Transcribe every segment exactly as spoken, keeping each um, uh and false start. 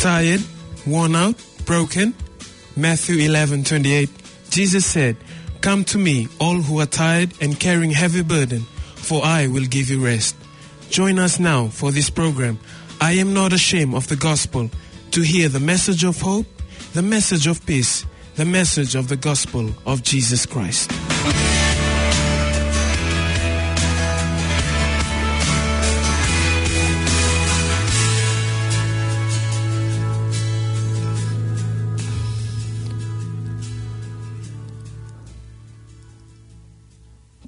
Tired, worn out, broken? Matthew eleven twenty-eight, Jesus said, "Come to me, all who are tired and carrying heavy burden, for I will give you rest." Join us now for this program, I Am Not Ashamed of the Gospel, to hear the message of hope, the message of peace, the message of the gospel of Jesus Christ.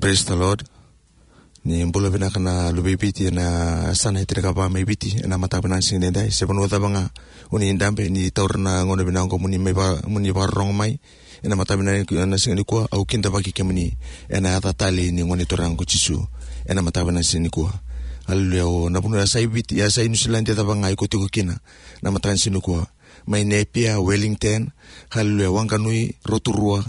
Praise the Lord. Ni bula vinaka na luve i Viti ena yasana e tinikava mai Viti ena mataka vinaka ni siga nidai. Se vanua cava ga o ni dabe, ni taura na gauna vinaka oqo mo ni mai va-, mo ni vakarorogo mai ena mataka vinaka ni siga nikua. Au kidavaki kemuni ena yaca talei ni Gone Turaga ko Jisu ena mataka vinaka ni siga nikua. Haleluya. O na vanua yasa i Viti, yasa i Niusiladi cava ga iko tiko kina na mataka ni siga nikua, mai Napier, Wellington, haleluya, Wanganui, Rotorua,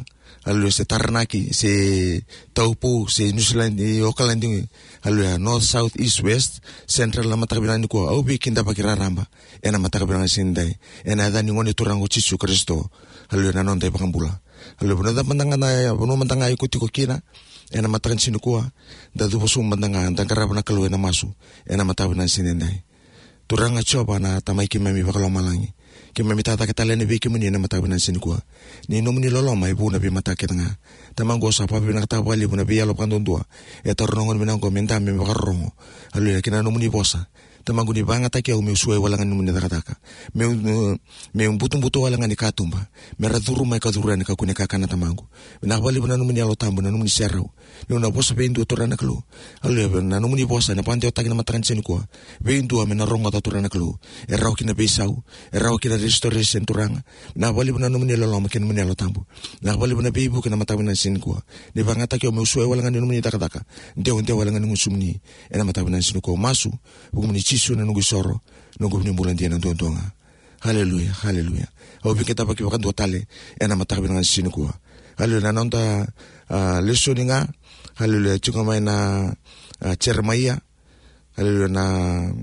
haleluya, se Taranaki, se Taupo, se Niusiladi, Okaladi, haleluya, North, South, East, West, Central, na mataka vinaka nikua, au veikidavaki raraba ena mataka vinaka ni siga nidai ena yaca ni Gone Turaga ko Jisu Karisito, haleluya, na noda iVakabula. Haleluya. Vanua mada ga na, vanua mada ga iko tiko kina ena mataka ni siga nikua, da cuva sobu mada ga, da qarava na Kalou ena masu ena mataka vinaka ni siga nidai. Turaga Jiova na Tamai keimami vakalomalagi, keimami tacake tale yani vei kemuni ena mataka vinaka ni siga nikua. Ni nomuni loloma e vu ena veimataka kece ga. Tamaqu, au sa vakavinavinakataka vakalevu na veiyalo vakaduadua e taura na gauna vinaka oqo me dabe, me vakarorogo, haleluya, kina nomuni vosa. Tamaqu, ni vakayagataki au meu suai wale ga ni nomuni cakacaka, meu, meu butubutu wale ga ni katuba, me ra curu mai ka curu yani ka kune kakana, Tamaqu. Vinaka vakalevu na nomuni Yalo Tabu, na nomuni serau. Niu na vosa vei dua, Turaga na Kalou, haleluya, na nomuni vosa ena vakadewataki na mataka ni siga nikua vei dua me na rogoca, Turaga na Kalou. E rawa kina veisau, e rawa kina restoration, Turaga. Vinaka vakalevu na nomuni loloma kei na nomuni Yalo Tabu. Vinaka vakalevu na veivuke ena mataka vinaka ni siga nikua. Ni vakayagataki au meu suai wale ga ni nomuni cakacaka, dewadewa wale ga ni gusumuni ena mataka vinaka ni siga nikua. Au masu vukumuni Jisu na noqu isoro, noqu vunibula dina duadua ga. Haleluya, haleluya. Au veikidavaki vakadua tale ena mataka vinaka ni siga nikua. Haleluya, na noda, ah, lesoni ga, haleluya, tiko mai na, ah, Jeremaia, haleluya, na,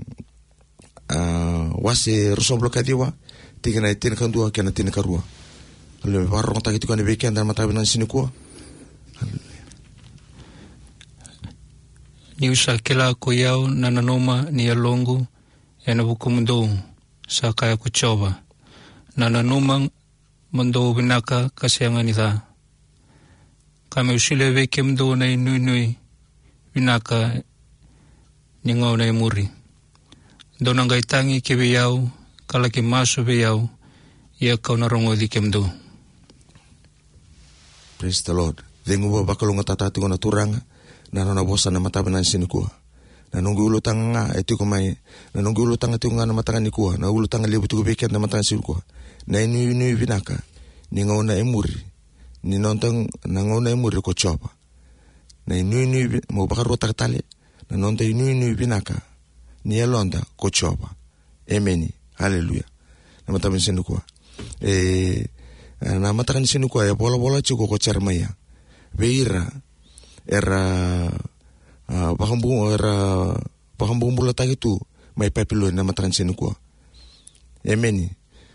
ah, wase ruasagavulu ka ciwa, tikina e tinikadua kei na tinikarua. Haleluya, vakarogotaki tiko yani vei keda ena mataka vinaka ni siga nikua. Haleluya. Niu sa kila ko i au na nanuma ni yaloqu ena vukumudou, sa kaya ko Jiova. Na nanuma mo dou vinaka ka sega ni ca, ka meu solia vei kemudou na inuinui vinaka ni gauna e muri. Dou na qai tagi ki vei au ka laki masu vei au, ia kau na rogoci kemudou. Praise the Lord. Cegu vakalougatataka tiko na Turaga na nona vosa na mataka vinaka ni siga nikua. Na noqu ulutaga ga e tiko mai, na noqu ulutaga tiko ga na mataka nikua, na ulutaga levu tiko vei keda na mataka ni siga nikua. Na inuinui vinaka ni gauna e muri, ni noda, na gauna e muri ko Jiova. Na inuinui vi-, mo vakaruataka tale, na noda inuinui vinaka ni yaloda ko Jiova. Emeni. Haleluya. Na mataka ni siga nikua. E, na mataka ni siga nikua e volavola tiko ko Jeremaia vei ira era, a, vakabu-, era vakabubulataki tu mai Papiloni na mataka ni siga nikua. Emeni.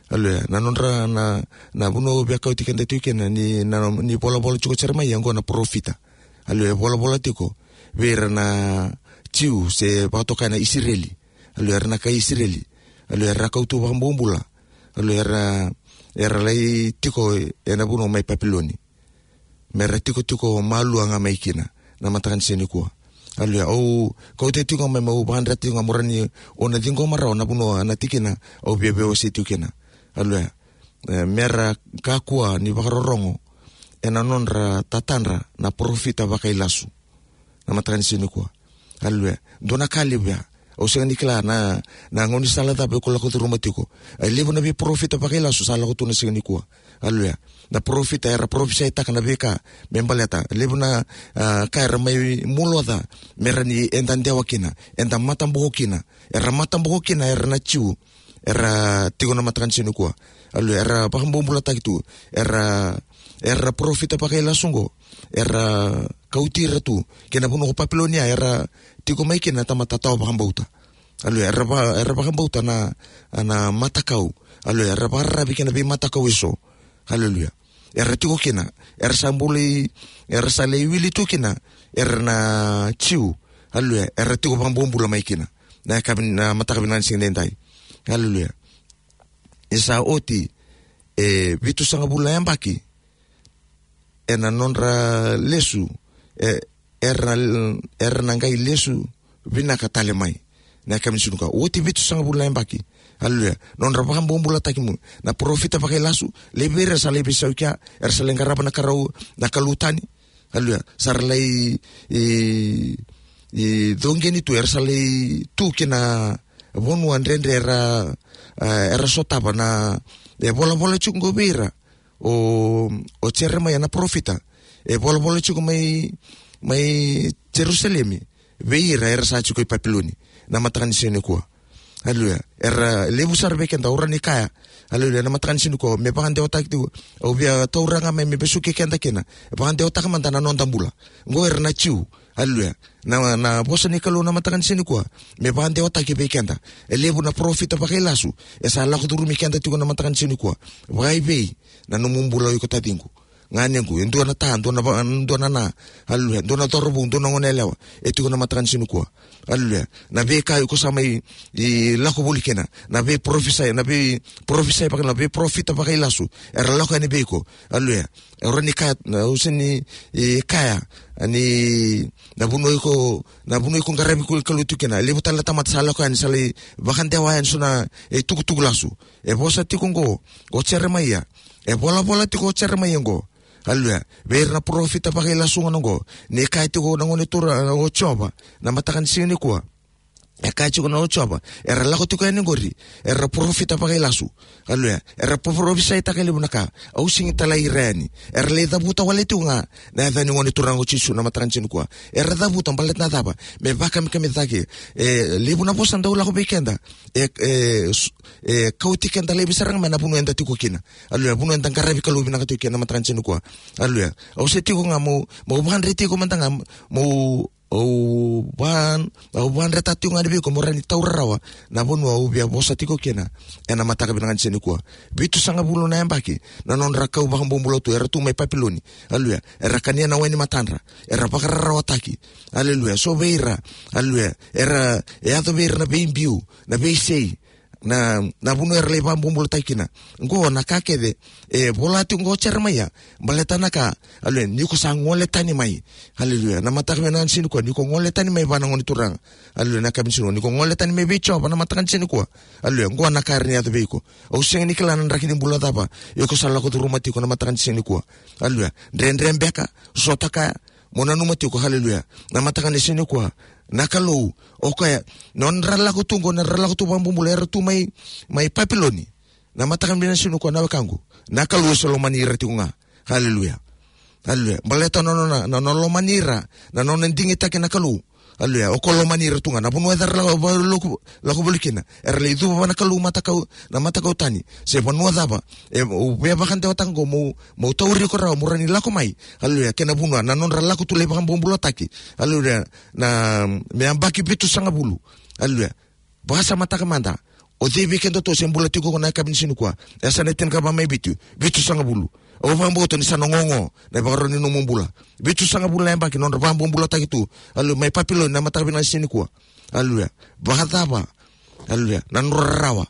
Haleluya. Na nodra, na, na vanua via kauti keda tiko kina ni, na, ni volavola tiko Jeremaia oqo na parofita. Haleluya. Volavola tiko vei ira na Jiu se vakatokai na Isireli. Haleluya. Era na kai Isireli. Haleluya. Era kau tu vakabobula. Haleluya. Era, era lai tiko ena vanua mai Papiloni. Me ra tikotiko malua ga mai kina. Na mataka ni siga nikua. Aleluya. Au kauta tiko ga mai meu vakadreta tiko ga mo rawa ni o na ciqoma rawa na vanua na tikina au via veiwasei tiko kina. Aleluya. E, mera kakua ni vakarorogo ena nodra tatadra na parofita vakailasu. Na mataka ni siga nikua. Aleluya. Dua na ka levu ya. Au sega ni kila na, na gaunisala cava iko lako curuma tiko. E levu na veiparofita vakailasu sa lako tu na siga nikua. Aleluya. Na parofita era parofisaitaka na veika me baleta. Levu na, a, ka era mai muloca, mera ni eda dewa kina, eda mataboko kina. Era mataboko kina era na Jiu. Era tiko na mataka ni siga nikua. Aleluya. Era vakabobulataki tu. Era, era parofita vakailasu qo. Era kauti ira tu kei na vanua ko Papilonia, era tiko mai kina na tamata tawa vakabauta. Aleluya. Era va-, era vakabauta na, na matakau. Aleluya. Era vakararavi kei na veimatakau eso. Aleluya. Era tiko kina, era sa bulai, era sa lai wili tu kina, era na Jiu. Aleluya. Era tiko vakabobula mai kina na yakavi, na mataka vinaka ni siga nidai. Aleluya. E sa oti e vitusagavulu na yabaki ena nodra lesu, e, era, era na qai lesu vinaka tale mai. Na yakavi ni siga nikua, oti vitusagavulu na yabaki. Aleluya. Nodra vakabobulataki mai na parofita vakailasu, levu vei ira sa lai veisau i kea, era sa lai qarava na karau, na kalou tani. Aleluya. Sa ra lai, e, e, coqeni tu, era sa lai tu kina vanua dredre era, e, era sotava na, e, volavola tiko qo vei ira o, o Jeremaia na parofita. E volavola tiko mai, mai Jerusalemi vei ira era sa tiko i Papiloni na mataka ni siga nikua. Aleluya. Era levu sara vei keda, au rawa ni kaya. Aleluya. Na mataka ni siga nikua, me vakadewataki tiko. Au via taura ga mai me vesuki keda kina. Vakadewataka mada na noda bula. Qo era na Jiu. Aleluya. Na, na vosa ni Kalou na mataka ni siga nikua, me vakadewataki vei keda. E levu na parofita vakailasu e sa lako curumi keda tiko na mataka ni siga nikua. Vakaivei na nomu bula o iko taciqu, ganequ, e dua na ta, dua na va-, dua na na. Aleluya. Dua na cauravou, dua na goneyalewa e tiko na mataka ni siga nikua. Aleluya. Na veika iko sa mai, e, lako voli kina, na veiparofisai, na veiparofisai vaka, na veiparofita vakailasu era lako yani vei iko. Aleluya. Au rawa ni kaya, au sega ni, e, kaya ni na vanua iko, na vanua iko qaravi Kalou tiko kina. E levu tale na tamata sa lako yani, sa lai vakadewa yani eso na, e, tukutuku lasu. E vosa tiko qo o Jeremaia. E volavola tiko o Jeremaia qo. Aleluya. Vei ira na parofita vakailasu ga qo. Ni kaya tiko na Gone Turaga o Jiova na mataka ni siga nikua. E kaya tiko na o Jiova, era lako tiko yani qori, era parofita vakailasu. Aleluya. Era parofisaitaka e levu na ka. Au sega ni talai ira yani. Era lai cavuta wale tiko ga na yaca ni Gone Turaga o Jisu na mataka ni siga nikua. Era cavuta baleta na cava? Me vakamikamicataki. E levu na vosa dau lako vei keda. E, e, s-, e kauti keda laivi sara ga mai na vanua eda tiko kina. Aleluya. Vanua eda qaravi Kalou vinaka tiko kina na mataka ni siga nikua. Aleluya. Au se tiko ga meu, meu vakadreti iko mada ga meu Au va, au vakadreta tiko ga yani vei iko mo rawa ni taura rawa na vanua au via vosa tiko kina ena mataka vinaka ni siga nikua. Vitusagavulu na yabaki na nodra kau vakabobula tu, era tu mai Papiloni. Aleluya. Era kania na wai ni matadra. Era vakararawataki. Aleluya. So vei ira. Aleluya. Era, e yaco vei ira na veibiu, na veisei. Na, na vanua era lai vakabobulataki kina. Qo na ka kece e vola tiko qo o Jeremaia. Baleta na ka, aleluya, ni ko sa gole tani mai. Aleluya. Na mataka vinaka ni siga nikua, ni ko gole tani mai vua na Gone Turaga. Aleluya. Na ka me siga, ni ko gole tani mai vei Jiova na mataka ni siga nikua. Aleluya. Qo na ka era ni yaco vei iko. Au sega ni kila na draki ni bula cava iko sa lako curuma tiko na mataka ni siga nikua. Aleluya. Dredre beka, sota kaya, mo nanuma tiko, aleluya, na mataka ni siga nikua, na Kalou, o koya, nodra lako tu qo, nodra lako tu vakabobula, era tu mai, mai Papiloni. Na mataka vinaka ni siga nikua, na wekaqu, na Kalou e se lomani ira tiko ga. Aleluya. Aleluya. Baleta na nona, na nona lomani ira, na nona digitaki na Kalou. Aleluya. O koya lomani ira tu ga. Na vanua era lako, lako, lako voli kina, era lai cuva vua na Kalou matakau, na matakau tani. Se vanua cava, e, au via vakadewataka qo meu, meu tauri iko rawa mo rawa ni lako mai. Aleluya. Kei na vanua, na nodra lako tu lai vakabobulataki. Aleluya. Na, me yabaki vitusagavulu. Aleluya. Vakasamataka mada. O cei vei kedatou se bula tiko qo na yakavi ni siga nikua? E sa na tinikava mai Viti, vitusagavulu. Au vakabauta ni sa na gogo na ivakarau ni nomu bula. Vitusagavulu na yabaki nodra vakabobulataki tu, aleluya, mai Papiloni na mataka vinaka ni siga nikua. Aleluya. Vakacava, aleluya, na nodra rarawa,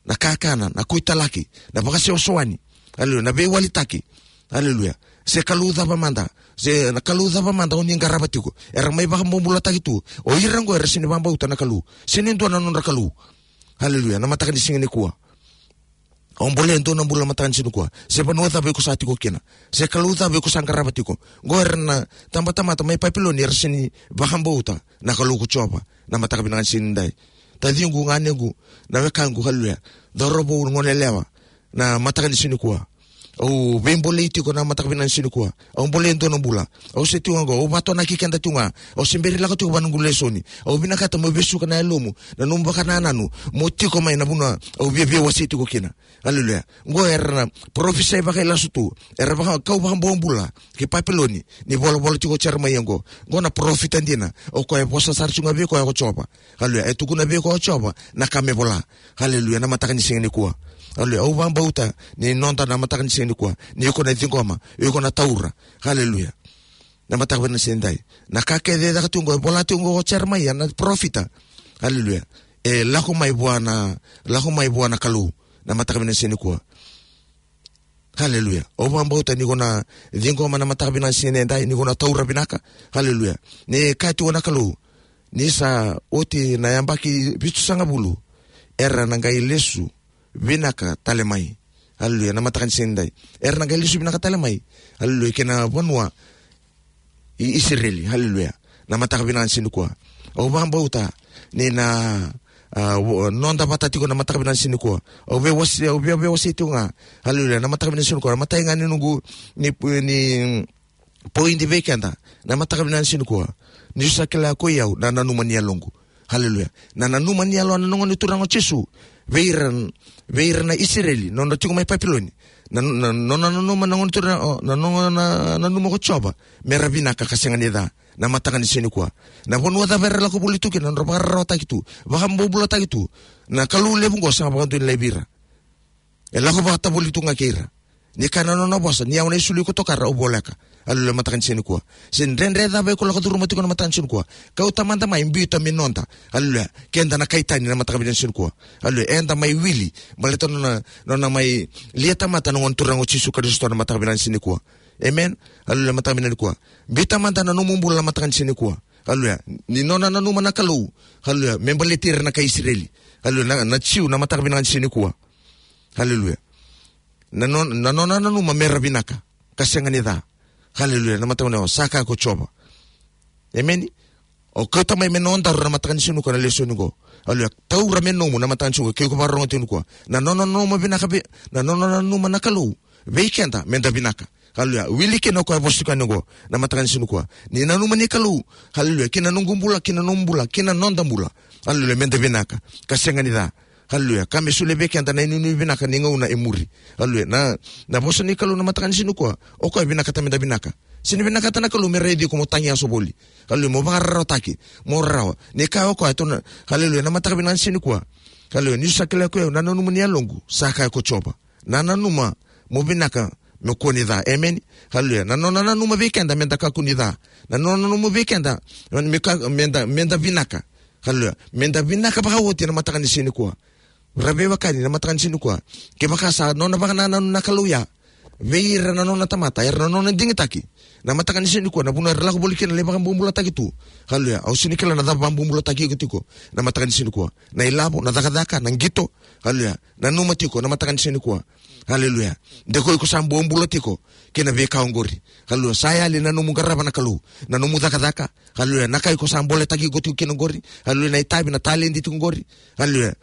na kakana, na kuitalaki, na vakasewasewani, aleluya, na veiwalitaki, aleluya, se kalou cava mada, Se na Kalou cava mada o ni qarava tiko. Era mai vakabobulataki tu. O ira oqo era sega ni vakabauta na Kalou. Sega ni dua na nodra Kalou. Haleluya. Na mataka ni siga nikua. Au bolea e dua na bula na mataka ni siga nikua. Se vanua cava iko sa tiko kina. Se Kalou cava iko sa qarava tiko. Oqo era na tabatamata mai Papiloni era sega ni vakabauta na Kalou ko Jiova. Na mataka vinaka ni siga nidai. Taciqu, ganequ, na wekaqu, haleluya. Cauravou, goneyalewa. Na mataka ni siga nikua. Au veibolei tiko na mataka vinaka ni siga nikua. Au bolei e dua na bula. Au se tiko ga oqo, au vatonaki keda tiko ga. Au se bera ni lako tiko vua na noqu lesoni. Au vinakata mo vesuka na yalomu, na nomu vakanananu, mo tiko mai na vanua au viavia wasei tiko kina. Haleluya. Oqo era na parofisai vakailasu tu. Era vaka, kau vakabobula ki Papiloni. Ni volavola tiko o Jeremaia oqo. Oqo na parofita dina. O koya e vosa sara tiko ga vei koya ko Jiova. Haleluya. E tukuna vei koya o Jiova na ka me vola. Haleluya. Na mataka ni siga nikua. Haleluya. Au vakabauta ni noda na mataka ni siga nikua. Ni iko na ciqoma, iko na taura. Haleluya. Na mataka vinaka ni siga nidai. Na ka kece e caka tu oqo, e vola tu oqo o Jeremaia na parofita. Haleluya. E lako mai vua na, lako mai vua na Kalou. Na mataka vinaka ni siga nikua. Haleluya. Au vakabauta ni ko na ciqoma na mataka vinaka ni siga nidai, ni ko na taura vinaka. Haleluya. Ni kaya tiko na Kalou, ni sa oti na yabaki vitusagavulu, era na qai lesu vinaka tale mai. Haleluya. Na mataka ni siga nidai. Era na qai lesu vinaka tale mai. Haleluya. Kei na vanua i Isireli. Haleluya. Na mataka vinaka ni siga nikua. Au vakabauta ni na, a, wo-, noda vata tiko na mataka vinaka ni siga nikua. Au veiwase, au vei, veiwasei tiko ga. Haleluya. Na mataka vinaka ni siga nikua. Na matai ga ni noqu, ni, ni poidi vei keda. Na mataka vinaka ni siga nikua. Ni sa kila ko i au, na nanuma ni yaloqu. Haleluya. Na nanuma ni yalo na noqu ni Turaga o Jisu. Vei ira, vei ira na Isireli, nona tiko mai Papiloni. Na, na, nona nanuma na noqu ni Turaga, o, na noqu na, nanuma ko Jiova. Mera vinaka ka sega ni ca. Na mataka ni siga nikua. Na vanua cava era lako voli tu kina, nodra vakararawataki tu. Vakabobulataki tu. Na Kalou levu oqo sega vakadua ni laivi ira. E lako vata voli tu ga kei ira. Ni kaya na nona vosa, ni au na isulu iko tokara au voleka. Haleluya, mataka ni siga nikua. Se dredre cava iko lako curuma tiko na mataka ni siga nikua. Kauta mada mai, biuta me noda. Haleluya. Keda na kai tani na mataka vinaka ni siga nikua. Haleluya. Eda mai wili. Baleta nona, nona mai lia tamata na noqu ni Turaga o Jisu Karisito na mataka vinaka ni siga nikua. Amen. Haleluya, mataka vinaka nikua. Biuta mada na nomu bula na mataka ni siga nikua. Haleluya. Ni nona nanuma na Kalou. Haleluya. Me baleti ira na kai Isireli. Haleluya. Na, na Jiu na mataka vinaka ni siga nikua. Haleluya. Na non-, na nona nanuma mera vinaka. Ka sega ni ca. Haleluya. Na mataka ni o sa kaya ko Jiova. Emeni. O kauta mai me nodaru na mataka ni siga nikua na lesoni qo. Haleluya. Taura me nomu na mataka ni siga qo. Ke iko vakarorogo tiko nikua. Na nona nanuma vinaka vei, na nona nanuma na Kalou. Vei keda, meda vinaka. Haleluya. Wili kina o koya e vosa tiko yani oqo. Na mataka ni siga nikua. Ni nanuma ni Kalou. Haleluya. Kina noqu bula, kina nomu bula, kina noda bula. Haleluya. Meda vinaka. Ka sega ni ca. Haleluya. Ka me solia vei keda na inuinui vinaka ni gauna e muri. Haleluya. Na, na vosa ni Kalou na mataka ni siga nikua. O koya e vinakata meda vinaka. Sega ni vinakata na Kalou me raici iko mo tagiyaso voli. Haleluya. Mo vakararawataki. Mo rarawa. Ni kaya o koya, e tu na, haleluya. Na mataka vinaka ni siga nikua. Haleluya. Ni sa kila ko i au, na nanuma ni yaloqu. Sa kaya ko Jiova. Na nanuma mo vinaka, me kua ni ca. Emeni. Haleluya. Na nona nanuma vei keda, meda kakua ni ca. Na nona nanuma vei keda, me ka-, meda, meda vinaka. Haleluya. Meda vinaka vakaoti na mataka ni siga nikua. Ra veiwekani na mataka ni siga nikua. Kevaka sa nona vakanananu na Kalou ya vei ira na nona tamata, era na nona digitaki. Na mataka ni siga nikua, na vanua era lako voli kina, lai vakabobulataki tu. Haleluya. Au sega ni kila na cava vakabobulataki iko tiko. Na mataka ni siga nikua. Na ilavo, na cakacaka, na qito. Haleluya. Nanuma tiko na mataka ni siga nikua. Haleluya. De ko iko sa bobula tiko kei na veika oqori. Haleluya. Sa yali na nomu qarava na Kalou. Na nomu cakacaka. Haleluya. Na ka iko sa boletaki iko tiko kina oqori. Haleluya. Na itavi, na taledi tiko oqori. Haleluya.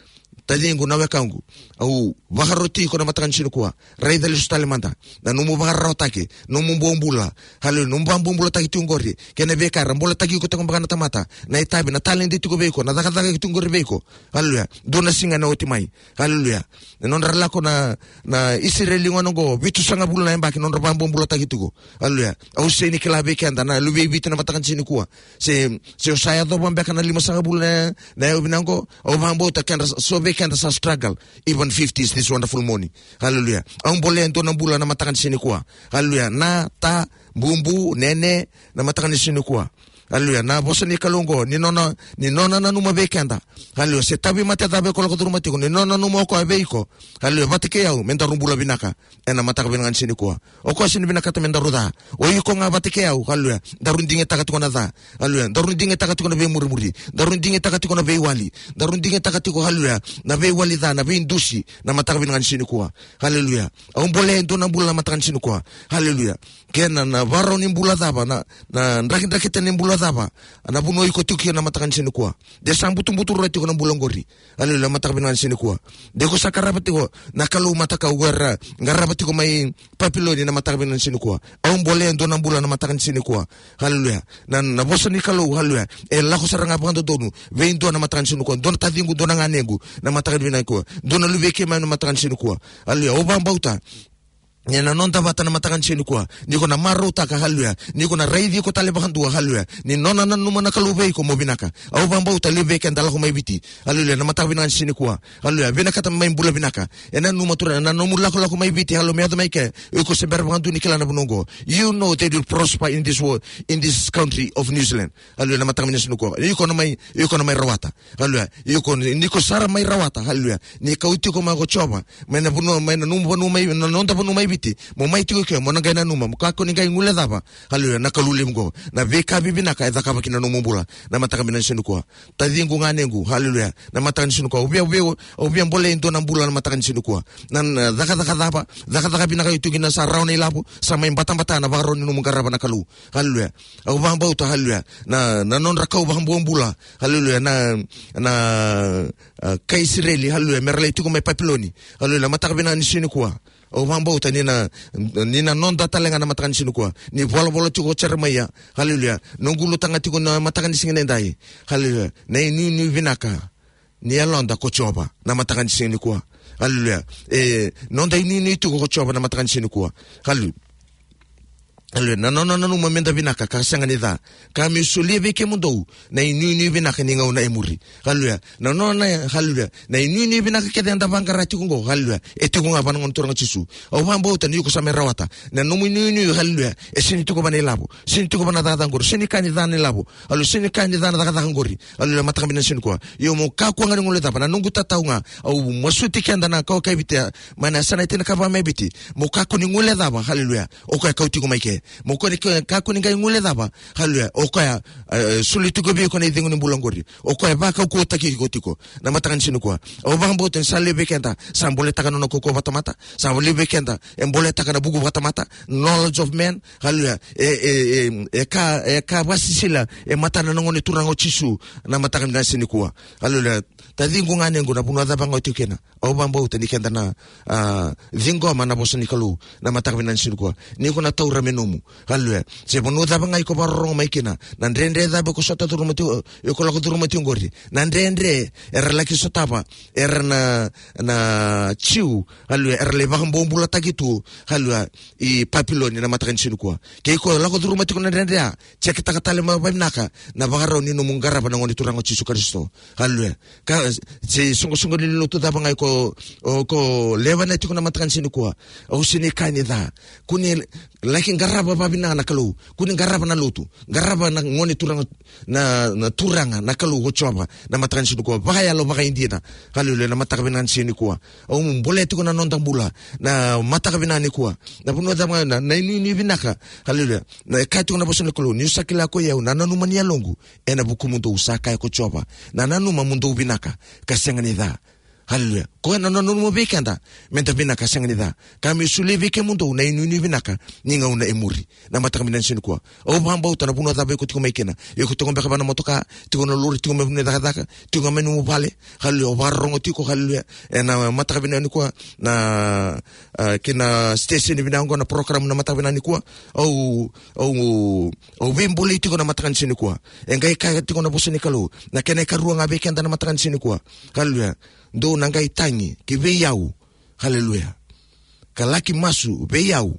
Taciqu, na wekaqu. Au vakaroti iko na mataka ni siga nikua. Raica lesu tale mada. Na nomu vakararawataki. Nomu bobula. Haleluya. Nomu vakabobulataki tiko oqori. Kei na veika era boletaki iko tiko beka na tamata. Na itavi, na taledi tiko vei iko. Na cakacaka tiko oqori vei iko. Haleluya. Dua na siga ena oti mai. Haleluya. Na nodra lako na, na Isireli gona oqo, vitusagavulu na yabaki nodra vakabobulataki tiko. Haleluya. Au sega ni kila vei keda na luve i Viti na mataka ni siga nikua. Se, se o sa yacova beka na limasagavulu na, na yau vinaka oqo, au vakabauta keda, so vei keda sa struggle. Even fifty is this wonderful morning. Haleluya. Au bolea e dua na bula na mataka ni siga nikua. Haleluya. Na, ta, bubu, nene, na mataka ni siga nikua. Haleluya. Na vosa ni Kalou oqo, ni nona, ni nona nanuma vei keda. Haleluya. Se tauvimate cava iko lako curuma tiko, ni nona nanuma o koya vei iko. Haleluya. Vata kei au, me daru bula vinaka ena mataka vinaka ni siga nikua. O koya sega ni vinakata me daru ca. O iko ga vata kei au, haleluya, daru digitaka tiko na ca. Haleluya. Daru digitaka tiko na veimurimuri. Daru digitaka tiko na veiwali. Daru digitaka tiko, haleluya, na veiwali ca, na veidusi, na mataka vinaka ni siga nikua. Haleluya. Au bolea e dua na bula na mataka ni siga nikua. Haleluya. Kena, na vakarau ni bula cava, na, na drakidrakita ni bula cava, na vanua iko tiko kina na mataka ni siga nikua. De sa butubutu rawa tiko na bula oqori. Haleluya, mataka vinaka ni siga nikua. De ko sa qarava tiko na kalou matakau era qarava tiko mai Papiloni na mataka vinaka ni siga nikua. Au bolea e dua na bula na mataka ni siga nikua. Haleluya. Na, na vosa ni Kalou, haleluya, e lako sara ga vakadodonu vei dua na mataka ni siga nikua. Dua na taciqu, dua na ganequ na mataka vinaka nikua. Dua na luvei keimami na mataka ni siga nikua. Haleluya. Au vakabauta ni na noda vata na mataka ni siga nikua, ni ko na marautaka, haleluya, ni ko na raici iko tale vakadua, haleluya, ni nona nanuma na Kalou vei iko mo vinaka. Au vakabauta levu vei keda lako mai Viti, haleluya, na mataka vinaka ni siga nikua. Haleluya. Vinakata mai bula vinaka. E nanuma, turaga, na nomu lakolako mai Viti, haleluya, me yaco mai ke, iko se bera vakadua ni kila na vanua oqo. You know that you'll prosper in this world, in this country of New Zealand. Haleluya, na mataka vinaka ni siga nikua. Iko na mai, iko na mai rawata. Haleluya. Iko ni, ni ko sara mai rawata. Haleluya. Ni kauti iko mai ko Jiova mai na vanua, mai na nomu vanua mai, na noda vanua mai Viti. Mo mai tiko ke, mo na qai nanuma, mo kakua ni qai guilecava. Haleluya. Na Kalou levu oqo. Na veika vivinaka e cakava ki na nomu bula na mataka vinaka ni siga nikua. Taciqu, ganequ, haleluya, na mataka ni siga nikua. Au via, au via, au via bolea e dua na bula na mataka ni siga nikua. Na, na cakacaka cava, cakacaka vinaka e tu kina, sa rawa na ilavo, sa mai batabata na vakarau ni nomu qarava na Kalou. Haleluya. Au vakabauta, haleluya, na, na nodra kau vakabobula, haleluya, na, na, a, kai Isireli, haleluya, me ra lai tiko mai Papiloni. Haleluya, na mataka vinaka ni siga nikua. Au vakabauta ni na, ni na noda tale ga na mataka ni siga nikua. Ni volavola tiko o Jeremaia. Haleluya. Noqu ulutaga tiko na mataka ni siga nidai. Haleluya. Na inuinui vinaka ni yaloda ko Jiova na mataka ni siga nikua. Haleluya. E, noda inuinui tiko ko Jiova na mataka ni siga nikua. Haleluya. Haleluya. Na nona nanuma me da vinaka ka sega ni ca, ka me solia vei kemudou na inuinui vinaka ni gauna e muri. Haleluya. Na nona, haleluya, na inuinui vinaka kece eda vaqara tiko oqo, haleluya, e tiko ga vua na Gone Turaga o Jisu. Au vakabauta ni iko sa mai rawata na nomu inuinui, haleluya, e sega ni tiko vua na ilavo, sega ni tiko vua na cakacaka qori, sega ni ka ni ca na ilavo, haleluya, sega ni ka ni ca na cakacaka qori. Haleluya, mataka vinaka ni siga nikua. Io, mo kakua ga ni guilecava, na noqu tatau ga. Au masuti keda na kawa kai Viti, mai na yasana e tinikava mai Viti. Mo kakua ni guilecava, haleluya, o koya kauti iko mai ke. Mo kakua ni, kakua ni qai guilecava, haleluya, o koya, e, soli tiko vei iko na icegu ni bula qori. O koya vakaukauwataki iko tiko na mataka ni siga nikua. Au vakabauta ni sa levu vei keda sa boletaka na nona kaukauwa vakatamata. Sa levu vei keda e boletaka na vuku vakatamata, knowledge of man. Haleluya. E, e, e, e ka, e ka vakasisila e matana na Gone Turaga o Jisu na mataka vinaka ni siga nikua. Haleluya. Taciqu, ganequ, na vanua cava ga o tiko kina, au vakabauta ni keda na, a, ciqoma na vosa ni Kalou na mataka vinaka ni siga nikua. Ni ko na taura me nomu. Haleluya. Se vanua cava ga iko vakarorogo mai kina, na dredre cava iko sota curuma tiko, iko lako curuma tiko qori, na dredre era laki sotava era na, na Jiu, haleluya, era lai vakabobulataki tu, haleluya, i Papiloni na mataka ni siga nikua. Ke iko lako curuma tiko na dredre ya, jekitaka tale mai vakavinaka na vakarau ni nomu qarava na Gone Turaga o Jisu Karisito. Haleluya. Ka, se isoqosoqo ni lotu cava ga iko, o, ko lewena tiko na mataka ni siga nikua, au sega ni kaya ni ca. Kua ni laki qarava vakavinaka na Kalou. Kua ni qarava na lotu. Qarava na Gone Turaga, na, na Turaga, na Kalou ko Jiova na mataka ni siga nikua, vakayalo, vakaidina. Haleluya, na mataka vinaka ni siga nikua. Au bolea tiko na noda bula na mataka vinaka nikua. Na vanua cava ga, na, na inuinui vinaka. Haleluya. Na, e kaya tiko na vosa ni Kalou, niu sa kila koi au na nanuma ni yaloqu ena vukumudou, sa kaya ko Jiova. Na nanuma mo dou vinaka ka sega ni ca. Haleluya. Koya na nona nanuma vei keda me da vinaka, sega ni ca, ka me solia vei kemudou na inuinui vinaka ni gauna e muri. Na mataka vinaka ni siga nikua, au vakabauta na vanua cava iko tiko mai kina, iko tiko beka vua na motoka, tiko na lori, tiko mai vanua ni cakacaka, tiko mai nomu vale. Haleluya. O vakarorogo tiko, haleluya, ena mataka vinaka nikua, na, a, kina station vinaka oqo, na program na mataka vinaka nikua. Au, au, au veibolei tiko na mataka ni siga nikua. E qai kaya tiko na vosa ni Kalou, na kena ikarua ga vei keda na mataka ni siga nikua. Haleluya. Dou na qai tagi ki vei au. Haleluya. Ka laki masu vei au,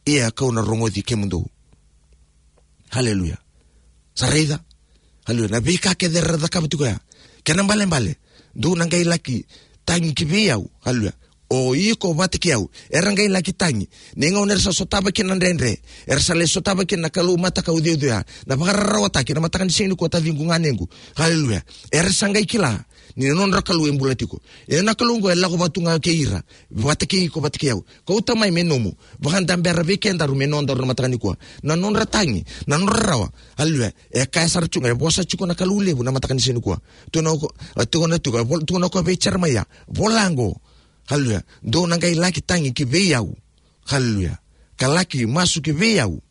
ia kau na rogoci kemudou. Haleluya. Sa raica? Haleluya. Na veika kece era cakava tiko ya, kena ibalebale, dou na qai laki tagi ki vei au. Haleluya. O iko vata kei au. Era qai laki tagi. Ni gauna era sa sotava kina na dredre, era sa lai sotava kina na kalou matakau ceuceu ya, na vakararawataki, na mataka ni siga nikua, taciqu, ganequ. Haleluya. Era sa qai kila ni na nodra Kalou e bula tiko. E na Kalou oqo e lako vata tu ga kei ira, vata kei iko, vata kei au. Kauta mai me nomu, vakadabera vei kedaru me nodaru na mataka nikua. Na nodra tagi, na nodra rawa. Haleluya. E kaya sara tu ga, e vosa tiko na Kalou levu na mataka ni siga nikua. Tukuna o ko-, a, tukuna tiko, a, vol-, tukuna o koya vei Jeremaia, vola oqo. Haleluya. Dou na qai laki tagi ki vei au. Haleluya. Ka laki masu ki vei au.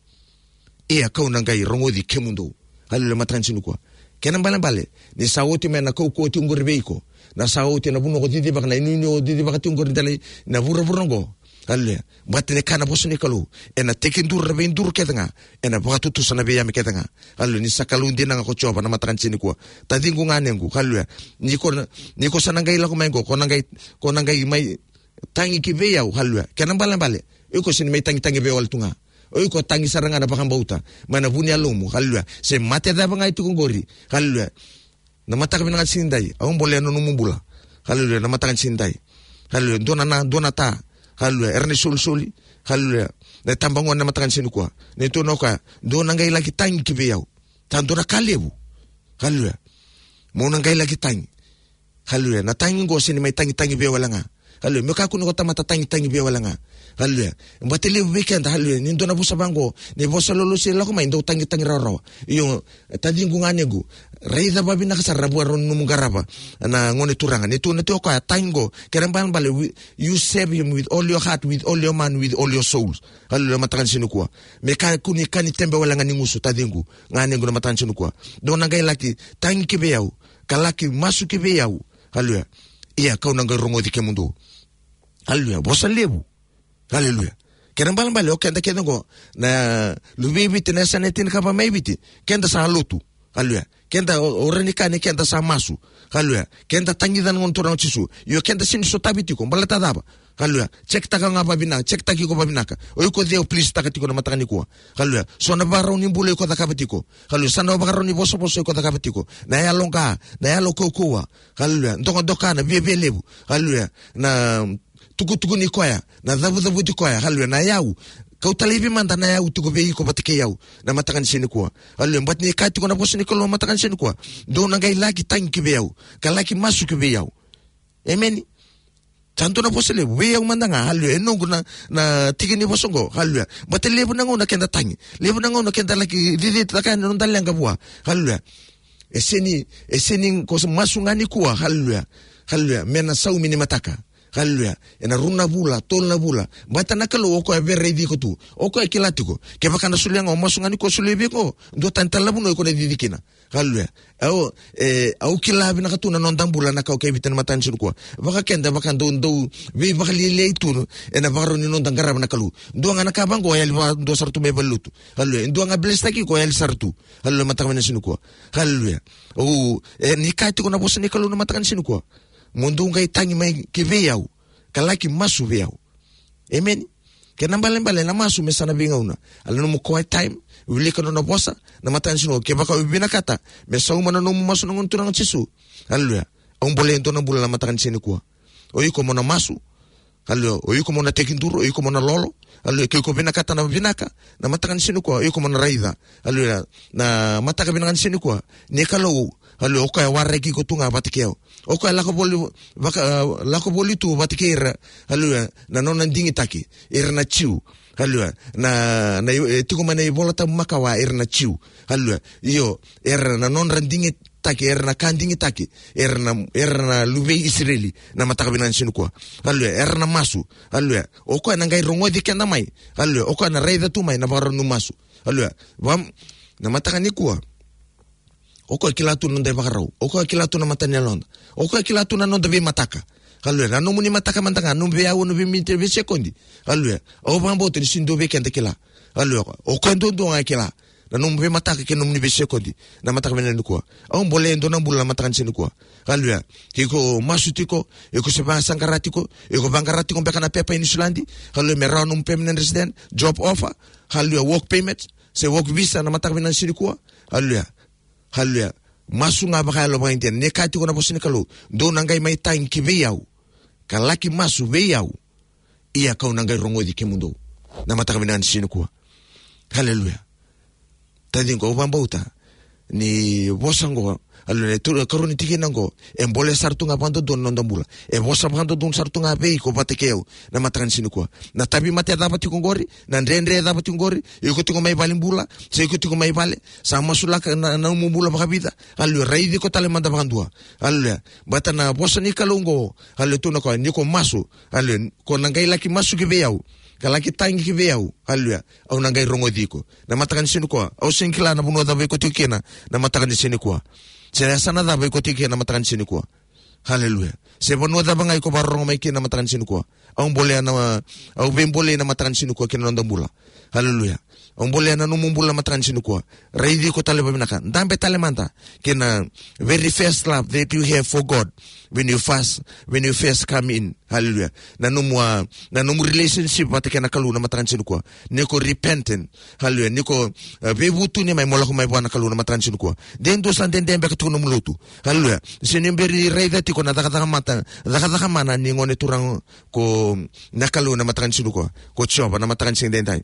Ia kau na qai rogoci kemudou. Haleluya, mataka ni siga nikua. Kena balebale, ni sa oti mai na kaukauwa tiko oqori vei iko. Na sa oti na vanua ko cicivaka, na inuinui o cicivaka tiko oqori dela i na vuravura oqo. Haleluya. Baleta ni kaya na vosa ni Kalou, ena tekiduru na veiduru kece ga, ena vakatutusa na veiyame kece ga. Haleluya. Ni sa Kalou dina ga ko Jiova na mataka ni siga nikua. Taciqu, ganequ. Haleluya. Ni ko na, ni ko sa na qai lako mai oqo, ko na qai, ko na qai mai tagi ki vei au, haleluya. Kena balebale, o iko sega ni mai tagitagi vei au wale tu ga. O iko tagi sara ga na vakabauta mai na vu ni yalomu, haleluya. Se mate cava ga e tiko oqori, haleluya. Na mataka vinaka ni siga nidai, au bolea na nomu bula. Haleluya, na mataka ni siga nidai. Haleluya, dua na, na, dua na ta. Haleluya, era na isolisoli. Haleluya, na itabagone na mataka ni siga nikua. Ni tukuna o koya, dou na qai laki tagi ki vei au. Sa dua na ka levu. Haleluya. Mo na qai laki tagi. Haleluya. Na tagi oqo sega ni mai tagitagi vei au wale ga. Haleluya. Me kakua ni ko tamata tagitagi vei au wale ga. Haleluya. Baleta levu vei keda, haleluya, ni dua na vosa vaqo, ni vosa lolosi e lako mai, dau tagitagi rawarawa. Io, taciqu, ganequ, raica vavinaka sara na vuarau ni nomu qarava na Gone Turaga. Ni tukuna tiko o koya, tagi oqo, kena balebale, wi-, you serve him with all your heart, with all your mind, with all your souls. Haleluya, mataka ni siga nikua. Me kakua ni ka ni tebe wale ga ni gusu, taciqu, ganequ, na mataka ni siga nikua. Dou na qai laki tagi ki vei au, ka laki masu ki vei au. Haleluya. Ia kau na qai rogoci kemudou. Haleluya. Vosa levu. Haleluya. Kena balebale, o keda kece oqo, na luve i Viti, na yasana e tinikava mai Viti, keda sa lotu. Haleluya. Keda o, o rawa ni kaya ni keda sa masu. Haleluya. Keda tagica na Gone Turaga o Jisu. Io, keda sega ni sotavi tiko. Baleta cava? Haleluya. Check-taka ga vavinaka, check-taki iko vavinaka. O iko cei o please-taka tiko na mataka nikua. Haleluya. So na vakarau ni bula iko cakava tiko. Haleluya. So na vakarau ni vosavosa iko cakava tiko. Na yaloqa, na yalo kaukauwa. Haleluya. Dokadoka, na viavialevu. Haleluya. Na tukutukuni koya, na cavucavuti koya, haleluya, na yau. Kauta laivi mada na yau tiko vei iko vata kei au na mataka ni siga nikua. Haleluya. Baleta ni kaya tiko na vosa ni Kalou na mataka ni siga nikua, dou na qai laki tagi ki vei au, ka laki masu ki vei au. Emeni. Sa dua na vosa levu vei au mada ga, haleluya. E noqu na, na tiki ni vosa oqo, haleluya. Baleta levu na gauna keda tagi, levu na gauna keda laki cicitaka na noda leqa vua. Haleluya. E sega ni, e sega ni ko sa masu ga nikua, haleluya. Haleluya. Me na saumi ni mataka. Haleluya. Ena rua na vula, tolu na vula. Baleta na Kalou o koya e via raici iko tu. O koya e kila tiko. Kevaka na solia ga o masu ga ni ko solia vei iko, dua tani tale na vanua iko na cici kina. Haleluya. Au, e, au kila vinaka tu na noda bula na kawa kei Viti na mataka ni siga nikua. Vaka keda, vaka dau, dau veivakalialiai tu ena vakarau ni noda qarava na Kalou. Dua ga na ka vaqo, e yali vakadua sara tu mai valenilotu. Haleluya. E dua ga bless-taki iko, e yali sara tu. Haleluya, mataka ni siga nikua. Haleluya. Au, e, ni kaya tiko na vosa ni Kalou na mataka ni siga nikua, mo dou qai tagi mai ki vei au, ka laki masu vei au. Emeni. Kena balebale na masu me sa na veigauna. Haleluya, nomu quiet time, wilika nona vosa na mataka ni siga nikua. Kevaka o vinakata me sauma na nomu masu na Gone Turaga o Jisu, haleluya, au bolea e dua na bula na mataka ni siga nikua. O iko mo na masu. Haleluya. O iko mo na tekiduru, o iko mo na lolo. Haleluya. Ke iko vinakata na vinaka na mataka ni siga nikua, o iko mo na raica. Haleluya. Na mataka vinaka ni siga nikua, ni Kalou, haleluya, o koya e waraki iko tu ga vata kei au. O koya e lako voli, vaka, e, lako voli tu vata kei ira. Haleluya. Na nona digitaki ira na Jiu. Haleluya. Na, na, e tiko mai na iVola Tabu Makawa, ira na Jiu. Haleluya. Io, era na nodra digitaki, era na ka digitaki, era na, era na luve i Isireli na mataka vinaka ni siga nikua. Haleluya. Era na masu. Haleluya. O koya na qai rogoci keda mai. Haleluya. O koya na raica tu mai na vakarau ni masu. Haleluya. Vam-, na mataka nikua, o koya e kila tu na noda ivakarau. O koya e kila tu na mata ni yaloda. O koya e kila tu na noda veimataka. Haleluya. Na nomuni mataka mada ga, nomu veiaua, nomu veiminiti, veisekodi. Haleluya. Au vakabauta ni sega ni dua vei keda e kila. Haleluya. O koya duadua ga e kila na nomu veimataka kei na nomuni veisekodi na mataka vinaka nikua. Au bolea e dua na bula na mataka ni siga nikua. Haleluya. Ke iko masu tiko, iko se vaqara tiko, iko vaqara tiko beka na pepa i Niusiladi. Haleluya. Me rawa nomu permanent resident, job offer. Haleluya. Work permit, se work visa na mataka vinaka ni siga nikua. Haleluya. Haleluya. Masu ga vakayalo vakaidina. Ni kaya tiko na vosa ni Kalou, dou na qai mai tagi ki vei au, ka laki masu vei au, ia kau na qai rogoci kemudou. Na mataka vinaka ni siga nikua. Haleluya. Taciqu, au vakabauta ni vosa qo, haleluya, na ikarua ni tikina qo, e bole sara tu ga vakadodonu na noda bula. E vosa vakadodonu sara tu ga vei iko vata kei au, na mataka ni siga nikua. Na tauvimate cava tiko qori, na dredre cava tiko qori, iko tiko mai valenibula, se iko tiko mai vale, sa masulaka na, na nomu bula vakavica, haleluya, raici iko tale mada vakadua. Haleluya. Baleta na vosa ni Kalou qo, haleluya, tukuna o koya, ni ko masu, haleluya, ko na qai laki masu ki vei au, ka laki tagi ki vei au, haleluya, au na qai rogoci iko. Na mataka ni siga nikua, au sega ni kila na vanua cava iko tiko kina, na mataka ni siga nikua. Se na yasana cava iko tiko kina, na mataka ni siga nikua. Haleluya. Se vanua cava ga iko vakarorogo mai kina, na mataka ni siga nikua. Au bolea na, au veibolei na mataka ni siga nikua kina noda bula. Haleluya. Au bolea na nomu bula na mataka ni siga nikua. Raici iko tale vakavinaka. Dabe tale mada kei na very first love that you have for God when you first, when you first come in. Haleluya. Na nomu, ah, na nomu relationship vata kei na Kalou na mataka ni siga nikua. Ni ko repentant. Haleluya. Ni ko, ah, veivutuni mai mo lako mai vua na Kalou na mataka ni siga nikua. De dua sa dede beka tiko nomu lotu. Haleluya. Se ni bera ni raica tiko na cakacaka mata, cakacaka mana ni gone turaga ko na Kalou na mataka ni siga nikua. Ko Jiova na mataka ni siga edaidai.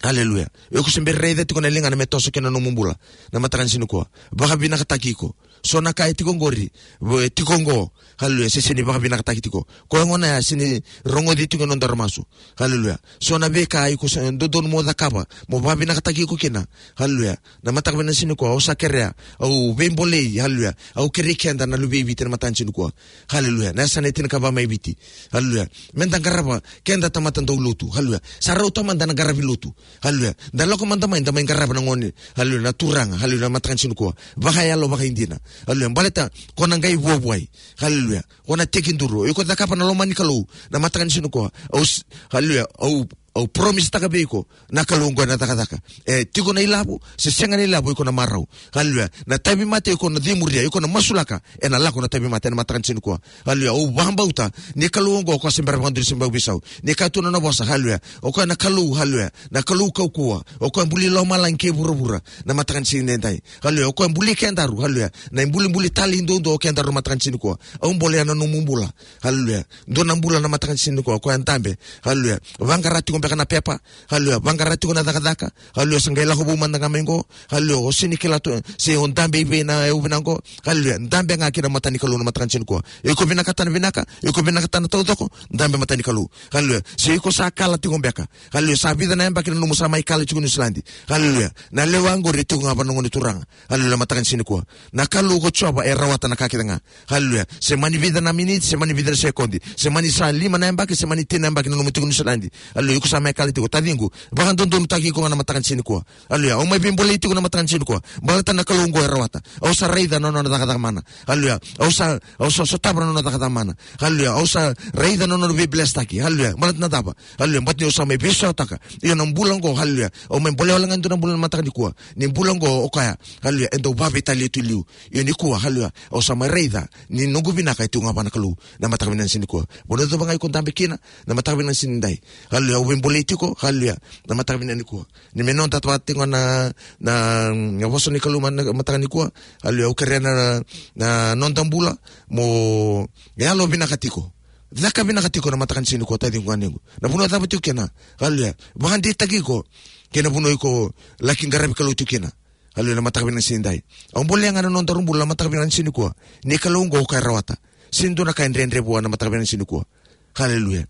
Haleluya. Iko se bera raica tiko na ligana me toso kina nomu bula na mataka ni siga nikua. Vakavinakataki iko. So na ka e tiko qori, vo e tiko qo. Haleluya. Se sega ni vakavinakataki tiko. Koya gona ya sega ni rogoci tiko na nodaru masu. Haleluya. So na veika iko sa dodonu mo cakava, mo vakavinakataki iko kina. Haleluya. Na mataka vinaka ni siga nikua, au sa kerea, au veibolei, haleluya. Au kerei keda na luve i Viti na mataka ni siga nikua. Haleluya. Na yasana e tinikava mai Viti. Haleluya. Meda qarava, keda tamata dau lotu. Haleluya. Sa rauta mada na qaravi lotu. Haleluya. Da lako mada mai, da mai qarava na gone. Haleluya. Na Turaga. Haleluya. Na mataka ni siga nikua. Vakayalo, vakaidina. Haleluya. Baleta, ko na qai vuavuai. Haleluya. Ko na tekiduru. Iko cakava na loma ni Kalou. Na mataka ni siga nikua. Au s-, haleluya. Au, au promise taka vei iko. Na Kalou qo ena cakacaka. E, tiko na ilavo, se sega na ilavo iko na marau. Haleluya. Na tauvimate iko na cimuria, iko na masulaka. Ena lako na tauvimate, na mataka ni siga nikua. Haleluya. Au vakabauta, ni Kalou oqo, o koya se bera vakadua ni se bau veisau. Ni kaya tu na nona vosa, haleluya. O koya na Kalou, haleluya. Na Kalou kaukauwa. O koya buli lomalagi kei vuravura. Na mataka ni siga edaidai. Haleluya. O koya buli kedaru, haleluya. Na ibulibuli talei duadua o kedaru na mataka ni siga nikua. Au bolea na nomu bula. Haleluya. Dua na bula na mataka ni siga nikua. O koya dabe. Haleluya. Vaqara tiko beka na pepa. Haleluya. Vaqara tiko na cakacaka. Haleluya. Sa qai lako vou mada ga mai qo. Haleluya. O sega ni kila tu, se o dabe i vei na yau vinaka qo. Haleluya. Dabe ga kina mata ni Kalou na mataka ni siga nikua. Iko vinakata na vinaka, iko vinakata na taucoko, dabe mata ni Kalou. Haleluya. Se iko sa kala tiko beka. Haleluya. Sa vica na yabaki na nomu sa mai kala tiko Niusiladi. Haleluya. Na lewa qori e tiko ga vua na Gone Turaga. Haleluya. Mataka ni siga nikua. Na Kalou ko Jiova e rawata na ka kece ga. Haleluya. Se mani vica na miniti, se mani vica na sekodi, se mani sa lima na yabaki, se mani tini na yabaki na nomu tiko Niusiladi. Haleluya. Iko sa mai kala tiko, taciqu. Vakadodonutaki iko ga na mataka ni siga nikua. Haleluya. Au mai veibolei tiko na mataka ni siga nikua. Baleta na Kalou oqo e rawata. Au sa raica na nona cakacaka mana. Haleluya. Au sa, au sa sotava na nona cakacaka mana. Haleluya. Au sa raica na nona veiblesstaki. Haleluya. Baleta na cava? Haleluya. Baleta ni au sa mai veisautaka. Ia na bula oqo, haleluya. Au mai bolea wale ga e dua na bula na mataka nikua. Ni bula oqo o koya. Haleluya. E dau vakaveitalia tu e liu. Ia nikua, haleluya. Au sa mai raica ni noqu vinaka e tiko ga vua na Kalou. Na mataka vinaka ni siga nikua. Vanua cava ga iko dabe kina, na mataka vinaka ni siga nidai. Haleluya. Au veibolei tiko, haleluya. Na mataka vinaka nikua. Ni me noda vata tiko na, na, na vosa ni Kalou ma-, na mataka nikua. Haleluya. Au kerea na, na noda bula mo yalo vinaka tiko. Caka vinaka tiko na mataka ni siga nikua, taciqu ganequ. Na vanua cava tiko kina. Haleluya. Vakadeitaki iko kei na vanua iko laki qaravi Kalou tiko kina. Haleluya, na mataka vinaka ni siga nidai. Au bolea ga na nodaru bula na mataka vinaka ni siga nikua. Ni Kalou oqo o koya e rawata. Sega ni dua na ka e dredre vua na mataka vinaka ni siga nikua. Haleluya.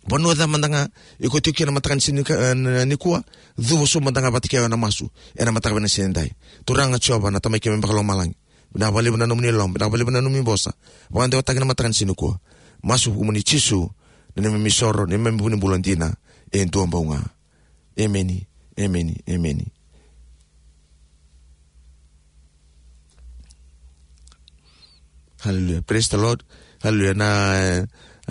Vanua cava mada ga iko tiko kina na mataka ni siga nika-, eh, nikua. Cuva sobu mada ga vata kei au ena masu. Ena mataka vinaka ni siga nidai. Turaga Jiova na Tamai keimami vakalomalagi. Vinaka vakalevu na nomuni loloma, vinaka vakalevu na nomuni vosa. Vakadewataki na mataka ni siga nikua. Masu vukumuni Jisu, na neimami isoro, neimami vunibula dina. E dua bau ga. Emeni, emeni, emeni. Haleluya. Praise the Lord. Haleluya. Na, eh,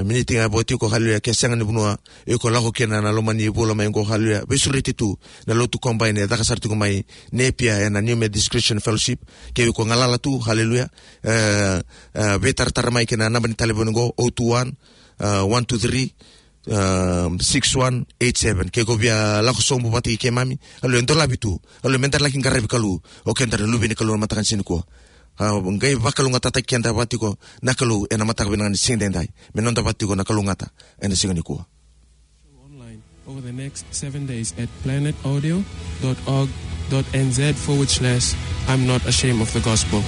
miniti ga vo tiko, haleluya, ke sega ni vanua iko lako kina na loma ni vula mai qo, haleluya. Veisureti tu na lotu Combine e caka sara tiko mai Napier ena New Methodist Christian Fellowship. Ke iko galala tu, haleluya. Eh, eh, veitaratara mai kei na naba ni talevoni qo, o two one, eh, one two three, um, six one eight seven. Ke ko via lako sobu vata kei keimami. Haleluya, dolavi tu. Haleluya, meda laki qaravi Kalou. O keda na luve ni Kalou na mataka ni siga nikua. A, qai vakalougatataki keda vata tiko na Kalou ena mataka vinaka ni siga edaidai. Me noda vata tiko na kalougata ena siga nikua. Online over the next seven days at planet audio dot org dot N Z forward slash I'm not ashamed of the gospel.